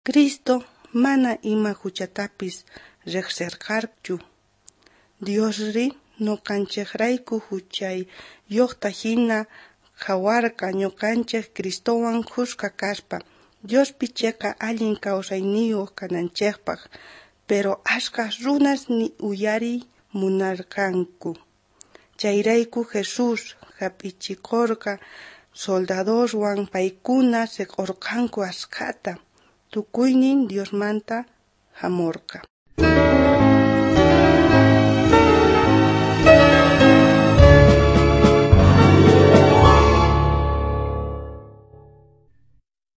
Cristo mana ima juchatapis rejserqachu. Diosrí noqanchejrayku juchayojta jina qhawarqa, noqanchej Cristowan khuska kaspa, Diospi cheqa allin kawsayniyoj kananchejpaj. Pero ashkha runas ni uyariy munarqanku. Chayrayku Jesús jap'ichikorqa soldadoswan, paykuna seq'orqanku ashkhata. Tukuynin Diosmanta jamorqa.